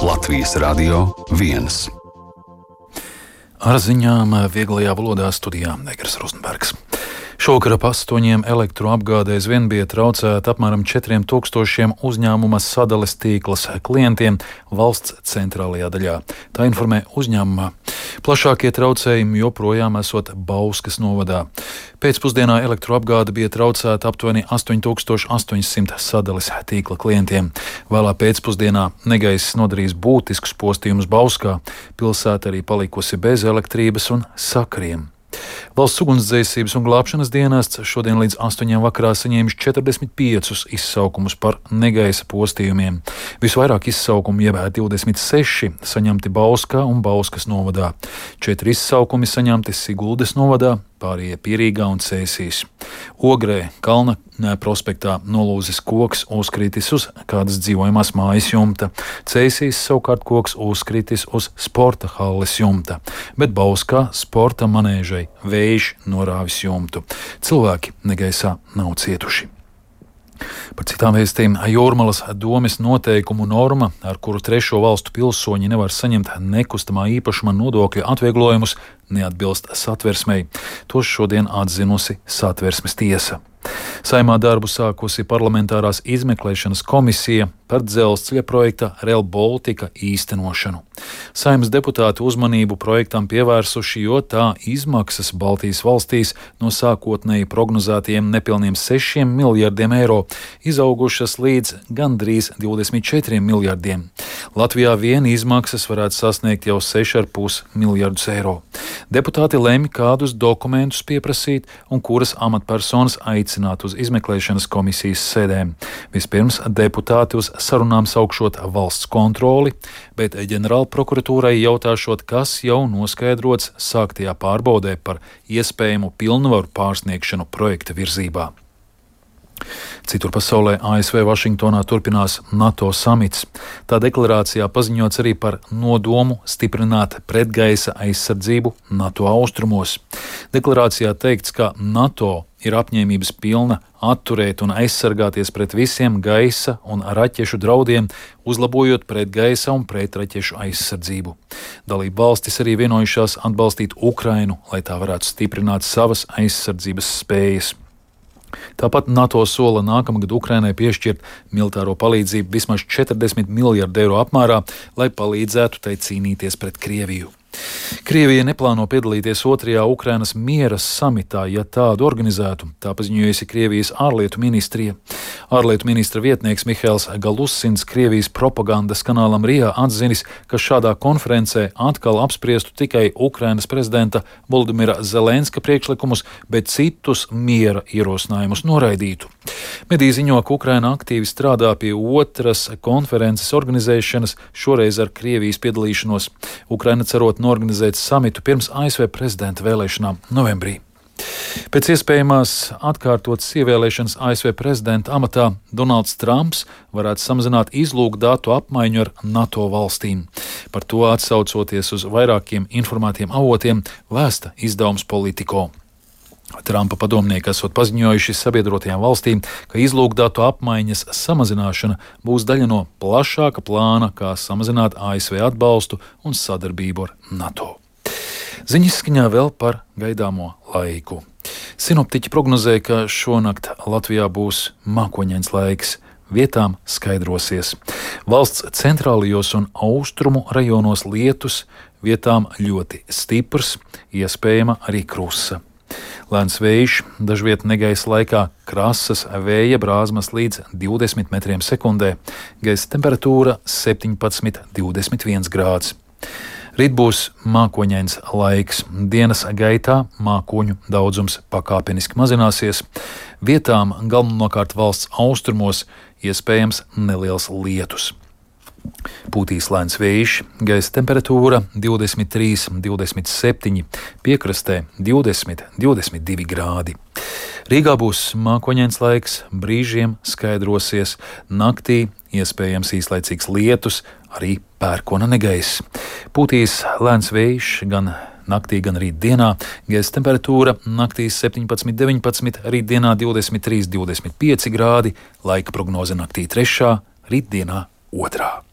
Latvijas Radio 1. Ar ziņām vieglajā valodā studijā Negras Rozenbergs. Šovakar ap 8 elektroapgādēs vien bija traucēta apmēram 4000 uzņēmuma sadales tīklas klientiem valsts centrālajā daļā. Tā informē uzņēmumā. Plašākie traucējumi joprojām esot Bauskas novadā. Pēcpusdienā elektroapgāde bija traucēta aptuveni 8800 sadales tīkla klientiem. Vēlā pēcpusdienā negaiss nodarījis būtiskus postījumus Bauskā. Pilsēta arī palikusi bez elektrības un sakariem. Valsts ugunsdzēsības un glābšanas dienests šodien līdz 8 vakarā saņēmis 45 izsaukumus par negaisa postījumiem. Visvairāk izsaukumu, jeb 26, saņemti Bauskā un Bauskas novadā. 4 izsaukumi saņemti Siguldas novadā, pārējie Pierīgā un Cēsīs. Ogrē, Kalna prospektā nolūzis koks uzkritis uz kādas dzīvojamās mājas jumta. Cēsīs savukārt koks uzkritis uz sporta halles jumta, bet Bauskā sporta manēžai vējš norāvis jumtu. Cilvēki negaisā nav cietuši. Par citām vēstīm Jūrmalas domes noteikumu norma, ar kuru trešo valstu pilsoņi nevar saņemt nekustamā īpašuma nodokļa atvieglojumus, neatbilst Satversmei. To šodien atzinusi Satversmes tiesa. Saimā darbu sākusi parlamentārās izmeklēšanas komisija par dzelzceļa projekta Rail Baltica īstenošanu. Saeimas deputāti uzmanību projektam pievērsuši, jo tā izmaksas Baltijas valstīs no sākotnēji prognozētajiem nepilniem 6 miljardiem eiro izaugušas līdz gandrīz 24 miljardiem. Latvijā vien izmaksas varētu sasniegt jau 6,5 miljardus eiro. Deputāti lemj, kādus dokumentus pieprasīt un kuras amatpersonas aicināt uz izmeklēšanas komisijas sēdēm. Vispirms deputāti uz sarunām saukšot valsts kontroli, bet ģenerāla prokuratūrai jautāšot, kas jau noskaidrots sāktajā pārbaudē par iespējamu pilnvaru pārsniegšanu projekta virzībā. Citur pasaulē ASV Vašingtonā turpinās NATO samits. Tā deklarācijā paziņots arī par nodomu stiprināt pretgaisa aizsardzību NATO austrumos. Deklarācijā teikts, ka NATO ir apņēmības pilna atturēt un aizsargāties pret visiem gaisa un raķešu draudiem, uzlabojot pretgaisa un pretraķešu aizsardzību. Dalību valstis arī vienojušās atbalstīt Ukrainu, lai tā varētu stiprināt savas aizsardzības spējas. Tāpat NATO sola nākamgad Ukrainai piešķirt militāro palīdzību vismaz 40 miljardu eiro apmērā, lai palīdzētu tai cīnīties pret Krieviju. Krievija neplāno piedalīties 2. Ukrainas miera samitā, ja tādu organizētu, tā paziņojusi Krievijas ārlietu ministrija. Ārlietu ministra vietnieks Mihails Galusins Krievijas propagandas kanālam RIA atzinis, ka šādā konferencē atkal apspriestu tikai Ukrainas prezidenta Volodimira Zelenska priekšlikumus, bet citus miera ierosinājumus noraidītu. Mediji ziņo, ka Ukraina aktīvi strādā pie otras konferences organizēšanas, šoreiz ar Krievijas piedalīšanos. Ukraina cerot norganizēt samitu pirms ASV prezidenta vēlēšanām novembrī. Pēc iespējamās atkārtotas ievēlēšanas ASV prezidenta amatā Donalds Trumps varētu samazināt izlūkdatu apmaiņu ar NATO valstīm. Par to atsaucoties uz vairākiem informētiem avotiem vēsta izdevums Politico. Trumpa padomnieki esot paziņojuši sabiedrotajām valstīm, ka izlūkdatu apmaiņas samazināšana būs daļa no plašāka plāna, kā samazināt ASV atbalstu un sadarbību ar NATO. Ziņas skaņā vēl par gaidāmo laiku. Sinoptiķi prognozē, ka šonakt Latvijā būs mākoņains laiks. Vietām skaidrosies. Valsts centrālajos un austrumu rajonos lietus, vietām ļoti stiprs, iespējama arī krusa. Lēns vējš, dažviet negaisa laikā krasas vēja brāzmas līdz 20 metriem sekundē, gaisa temperatūra 17–21 grāds. Rīt būs mākoņains laiks, dienas gaitā mākoņu daudzums pakāpeniski mazināsies, vietām galvenokārt valsts austrumos iespējams neliels lietus. Pūtīs lēns vējš, gaisa temperatūra 23–27, piekrastē 20–22 grādi. Rīgā būs mākoņains laiks, brīžiem skaidrosies, naktī iespējams īslaicīgs lietus, arī pērkona negaiss. Pūtīs lēns vējš gan naktī, gan rītdienā, gaisa temperatūra naktī 17–19, rītdienā 23–25 grādi, laika prognoze naktī 3, rītdienā 2.